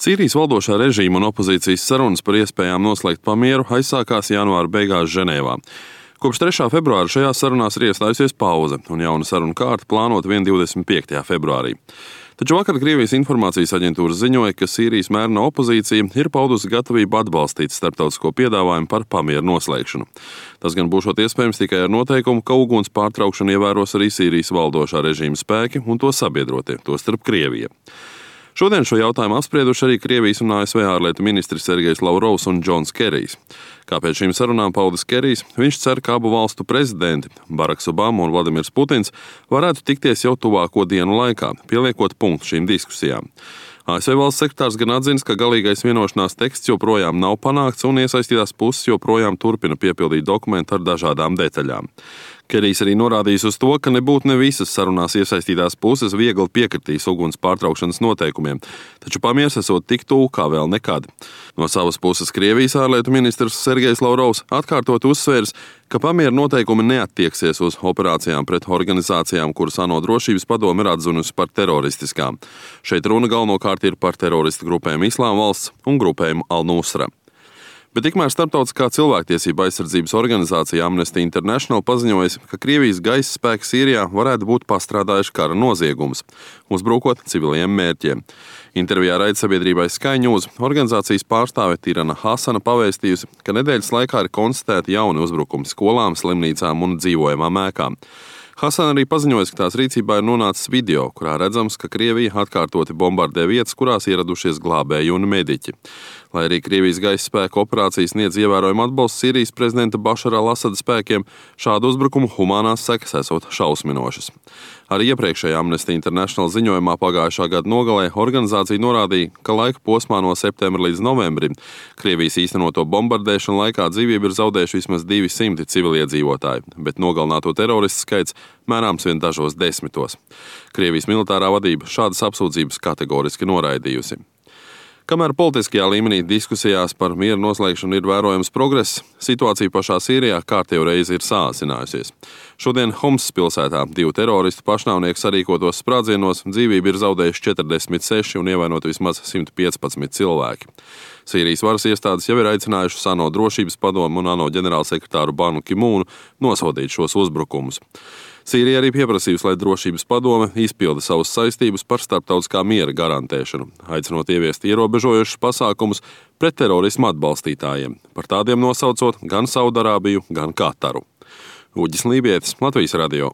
Sīrijas valdošā režīma un opozīcijas sarunas par iespējām noslēgt pamieru aizsākās janvāra beigās Ženēvā. Kopš 3. februāra šajās sarunās ir iestājusies pauze, un jauna sarunu kārta plānota 25. februārī. Taču vakar Krievijas informācijas aģentūra ziņoja, ka Sīrijas mērena opozīcija ir paudusi gatavību atbalstīt starptautisko piedāvājumu par pamieru noslēgšanu. Tas gan būšot iespējams tikai ar noteikumu, ka uguns pārtraukšanu ievēros arī Sīrijas valdošā režīma spēki un to sabiedrotie, tostarp Krievija. Šodien šo jautājumu apsprieduši arī Krievijas un ASV ārlietu ministri Sergejs Lavrovs un Džons Kerijs. Kā pēc šīm sarunām paudis Kerijs, viņš cer, ka abu valstu prezidenti, Baraks Obama un Vladimirs Putins, varētu tikties jau tuvāko dienu laikā, pieliekot punktu šīm diskusijām. ASV valsts sekretārs gan atzins, ka galīgais vienošanās teksts joprojām nav panākts un iesaistītās puses joprojām turpina piepildīt dokumentu ar dažādām detaļām. Kerijs arī norādījis uz to, ka nebūtu ne visas sarunās iesaistītās puses viegli piekritīs uguns pārtraukšanas noteikumiem, taču pamiers esot tik tuvu kā vēl nekad. No savas puses Krievijas ārlietu ministrs Sergejs Lavrovs atkārtot uzsvērs, ka pamiera noteikumi neattieksies uz operācijām pret organizācijām, kuras ANO drošības padome ir atzinusi par teroristiskām. Šeit runa galvenokārt ir par teroristu grupēm Islāma valsts un grupējumu Al-Nusra. Bet tikmēr starptautiskā cilvēktiesība aizsardzības organizācija Amnesty International paziņojas, ka Krievijas gaisa spēki Sīrijā varētu būt pastrādājuši kara noziegumus, uzbrukot civiliem mērķiem. Intervijā raidsabiedrībai Sky News organizācijas pārstāve Tirana Hasana pavēstījusi, ka nedēļas laikā ir konstatēti jauni uzbrukumi skolām, slimnīcām un dzīvojamām ēkām. Hasana arī paziņoja, ka tās rīcībā ir nonācis video, kurā redzams, ka Krievija atkārtoti bombardē vietas, kurās ieradušies glābēji un mediķi. Lai arī Krievijas gaisa spēku operācijas sniedz ievērojumu atbalstu Sīrijas prezidenta Bašara al-Asada spēkiem, šādu uzbrukumu humānās sekas esot šausminošas. Arī iepriekšējā Amnesty International ziņojumā pagājušā gada nogalē organizācija norādīja, ka laika posmā no septembra līdz novembrim Krievijas īstenoto bombardēšanu laikā dzīvību ir zaudējuši vismaz 200 civiliedzīvotāji, bet nogalināto teroristu skaits mērāms vien dažos desmitos. Krievijas militārā vadība šādas apsūdzības kategoriski noraidījusi. Kamēr politiskajā līmenī diskusijās par miera noslēgšanu ir vērojams progress, situācija pašā Sīrijā kārtējo reizi ir sāsinājusies. Šodien Homsas pilsētā 2 teroristu pašnāvnieku sarīkotos sprādzienos dzīvību ir zaudējuši 46 un ievainoti vismaz 115 cilvēki. Sīrijas varas iestādes jau ir aicinājušas ANO drošības padomu un ANO ģenerālsekretāru Banu Ki-mūnu nosodīt šos uzbrukumus. Sīrija arī pieprasījusi, lai drošības padome izpilda savas saistības par starptautiskā miera garantēšanu, aicinot ieviest ierobežojošus pasākumus pret terorismu atbalstītājiem, par tādiem nosaucot gan Saudarābiju, gan Kataru. Uģis Lībietis, Latvijas radio.